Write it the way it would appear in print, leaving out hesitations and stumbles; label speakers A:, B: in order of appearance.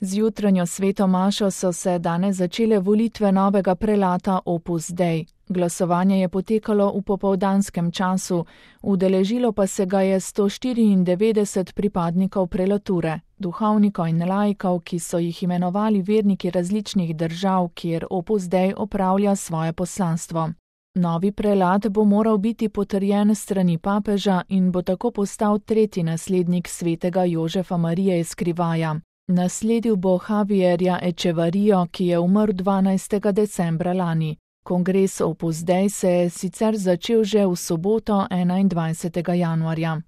A: Z jutranjo sveto mašo so se danes začele volitve novega prelata Opus Dei. Glasovanje je potekalo v popoldanskem času, udeležilo pa se ga je 194 pripadnikov prelature, duhovnikov in laikov, ki so jih imenovali verniki različnih držav, kjer Opus Dei opravlja svoje poslanstvo. Novi prelat bo moral biti potrjen s strani papeža in bo tako postal tretji naslednik svetega Jožefa Marije Eskrivaja. Nasledil bo Javierja Echevarrijo, ki je umrl 12. decembra lani. Kongres Opus Dei se je sicer začel že v soboto 21. januarja.